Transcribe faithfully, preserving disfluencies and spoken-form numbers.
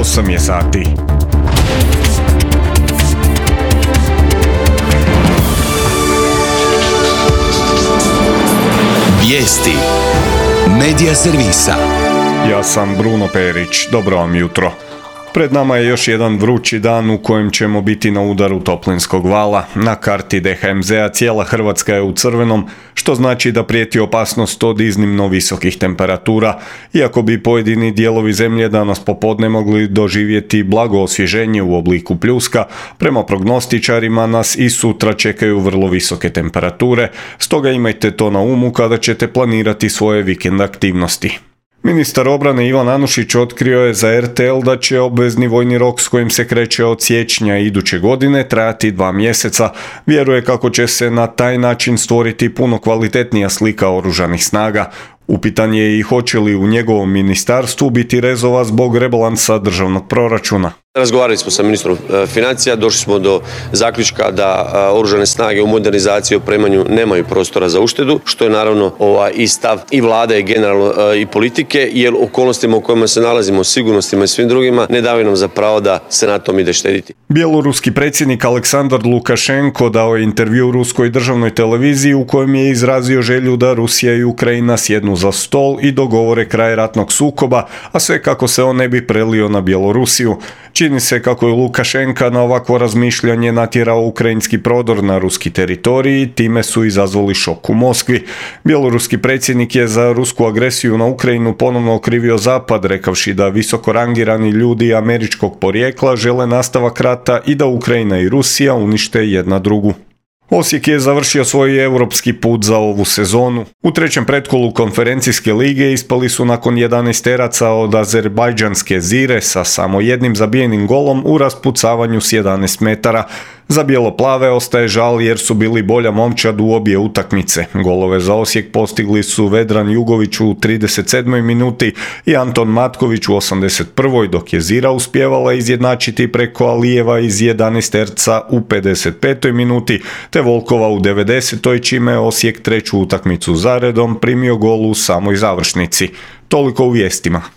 osam je sati. Vijesti Medija servisa. Ja sam Bruno Perić, dobro vam jutro. Pred nama je još jedan vrući dan u kojem ćemo biti na udaru toplinskog vala. Na karti D H M Z-a cijela Hrvatska je u crvenom, što znači da prijeti opasnost od iznimno visokih temperatura. Iako bi pojedini dijelovi zemlje danas popodne mogli doživjeti blago osvježenje u obliku pljuska, prema prognostičarima nas i sutra čekaju vrlo visoke temperature, stoga imajte to na umu kada ćete planirati svoje vikend aktivnosti. Ministar obrane Ivan Anušić otkrio je za R T L da će obvezni vojni rok s kojim se kreće od siječnja iduće godine trajati dva mjeseca. Vjeruje kako će se na taj način stvoriti puno kvalitetnija slika oružanih snaga. Upitan je i hoće li u njegovom ministarstvu biti rezova zbog rebalansa državnog proračuna. Razgovarali smo sa ministrom financija, došli smo do zaključka da oružane snage u modernizaciji i opremanju nemaju prostora za uštedu, što je naravno ovaj i stav i vlade i generalno i politike, jer okolnostima u kojima se nalazimo, sigurnostima i svim drugima, ne daju nam za pravo da se na tom ide štediti. Bjeloruski predsjednik Aleksandar Lukašenko dao je intervju ruskoj državnoj televiziji u kojem je izrazio želju da Rusija i Ukrajina sjednu za stol i dogovore kraj ratnog sukoba, a sve kako se on ne bi prelio na Bjelorusiju. Čini se kako je Lukašenka na ovakvo razmišljanje natjerao ukrajinski prodor na ruski teritorij i time su izazvali šok u Moskvi. Bjeloruski predsjednik je za rusku agresiju na Ukrajinu ponovno okrivio Zapad, rekavši da visoko rangirani ljudi američkog porijekla žele nastavak rata i da Ukrajina i Rusija unište jedna drugu. Osijek je završio svoj europski put za ovu sezonu. U trećem pretkolu konferencijske lige ispali su nakon jedanaesteraca od azerbajdžanske Zire sa samo jednim zabijenim golom u raspucavanju s jedanaest metara. Za bijelo-plave ostaje žal jer su bili bolja momčad u obje utakmice. Golove za Osijek postigli su Vedran Jugović u trideset sedmoj minuti i Anton Matković u osamdeset prvoj, dok je Zira uspjevala izjednačiti preko Alijeva iz jedanaesterca u pedeset petoj minuti, te Volkova u devedesetoj, čime je Osijek treću utakmicu zaredom primio gol u samoj završnici. Toliko u vijestima.